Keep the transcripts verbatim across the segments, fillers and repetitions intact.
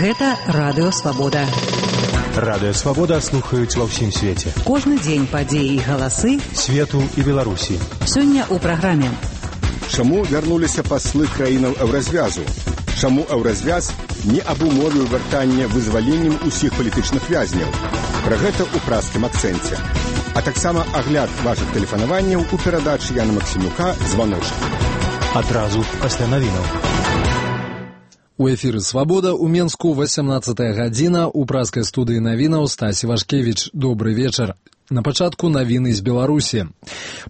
Гэта Радыё Свабода. Радыё Свабода слухаюць ва ўсім свеце. Кожны дзень падзеі і галасы свету і Беларусі. Сёння ў праграме. Чаму вярнуліся паслы краінаў еўразвязу? Чаму еўразвяз не абумовіў вяртання вызваленнем усіх палітычных вязняў? Пра гэта ў празкім акцэнце. А таксама агляд вашых тэлефанаванняў у перадачы Яна Максімюка «Званочак». Адразу пасля навінаў. У эфіры «Свабода» у Менску васямнаццатая гадзіна, у празкай студыі навінаў Стасі Вашкевіч. Добры вечар. На пачатку навіны з Беларусі.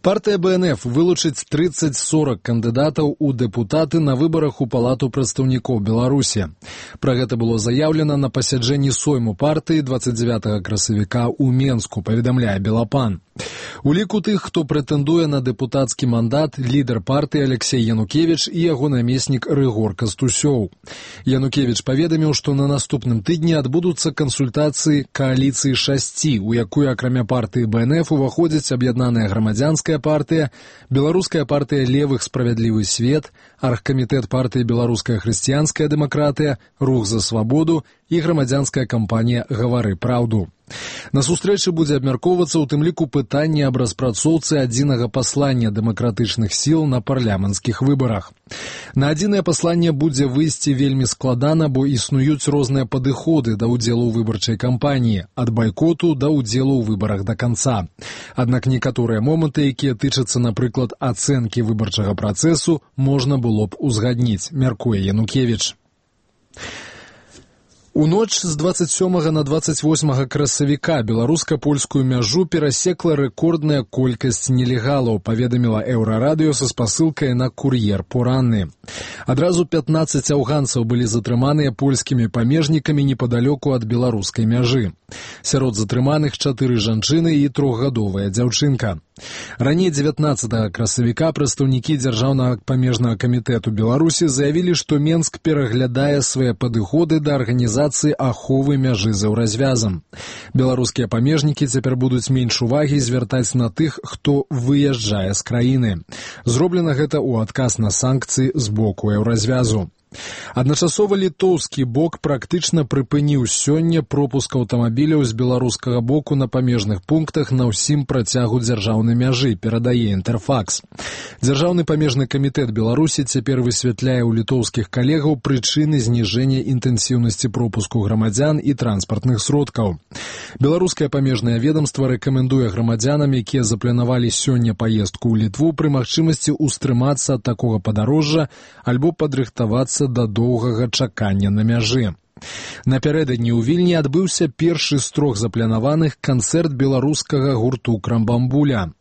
Партыя бэ эн эф вылучыць трыццаць-сорак кандыдатаў у дэпутаты на выбарах у Палату прадстаўнікоў Беларусі. Пра гэта было заяўлена на пасяджэнні сойму партыі дваццаць дзевятага красавіка ў Менску, паведамляе Белапан. У ліку тых, хто прэтэндуе на дэпутацкі мандат, лідар партыі Алексей Янукевіч і яго намеснік Рыгор Кастусёў. Янукевіч паведаміў, што на наступным тыдні адбудуцца кансультацыі кааліцыі шасці, у якую акрамя партыі бэ эн эф уваходзіць аб'яднаная грамадзянская партыя, беларуская партыя левых «Справядлівы свет», аргкамітэт партыі беларуская хрысціянская дэмакратыя, рух за свабоду і грамадзянская кампанія «Гавары праўду». На сустрэчы будзе абмяркоўвацца ў тым ліку пытанне аб распрацоўцы адзінага паслання дэмакратычных сіл на парламенцкіх выбарах. На адзінае пасланне будзе выйсці вельмі складана, бо існуюць розныя падыходы да ўдзелу ў выбарчай кампаніі, ад байкоту да ўдзелу ў выбарах да канца. Аднак некаторыя моманты, якія тычацца, напрыклад, ацэнкі выбарчага працэсу, можна было б узгадніць, мяркуе Янукевіч. У ноч з дваццаць сёмага на дваццаць восьмага красавіка беларуска-польскую мяжу перасекла рэкордная колькасць нелегалаў, паведаміла Еўрарадыё са спасылкай на кур'ер поранны. Адразу пятнаццаць афганцаў былі затрыманыя польскімі памежнікамі непадалёку ад беларускай мяжы. Сярод затрыманых чатыры жанчыны і трохгадовая дзяўчынка. Раней дзевятнаццатага красавіка прадстаўнікі дзяржаўнага памежнага камітэту Беларусі заявілі, што Менск пераглядае свае падыходы да арганізацыі аховы мяжы з еўразвязам. Беларускія памежнікі цяпер будуць менш увагі звяртаць на тых, хто выязджае з краіны. Зроблена гэта ў адказ на санкцыі з боку еўразвязу. Адначасова літоўскі бок практычна прыпыніў сёння пропуск аўтамабіляў з беларускага боку на памежных пунктах на ўсім працягу дзяржаўнай мяжы, перадае Інтэрфакс. Дзяржаўны памежны камітэт Беларусі цяпер высвятляе ў літоўскіх калегаў прычыны зніжэння інтэнсіўнасці пропуску грамадзян і транспартных сродкаў. Беларускае памежнае ведамства рэкамендуе грамадзянам, якія запланавалі сёння паездку ў Літву, пры магчымасці ўстрымацца ад такога падарожжа альбо падрыхтавацца да доўгага чакання на мяжы. Напярэдадні ў Вільні адбыўся першы з трох запланаваных канцэрт беларускага гурту «Крамбамбуля».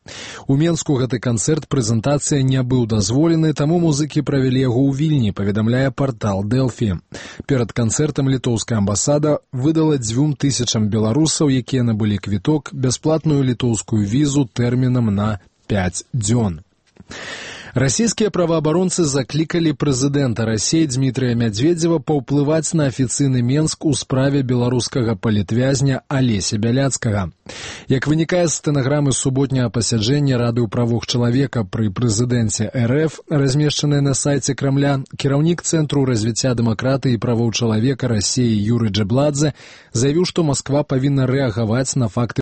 У Менску гэты канцэрт прэзентацыя не быў дазволены, таму музыкі правялі яго ў Вільні, паведамляе партал Дэлфі. Перад канцэртам літоўская амбасада выдала дзвюм тысячам беларусаў, якія набылі квіток, бясплатную літоўскую візу тэрмінам на пяць дзён. Расійскія праваабаронцы заклікалі прэзідэнта Расіі Дзмітрыя Мядзведзева паўплываць на афіцыйны Менск у справе беларускага палітвязня Алеся Бяляцкага. Як вынікае з стэнаграмы суботняга пасяджэння Рады ў правах чалавека пры прэзідэнце эр эф, размешчанай на сайце Крамля, кіраўнік Цэнтру развіцця дэмакратыі і правоў чалавека Расіі Юрый Джэбладзе заявіў, што Масква павінна рэагаваць на факты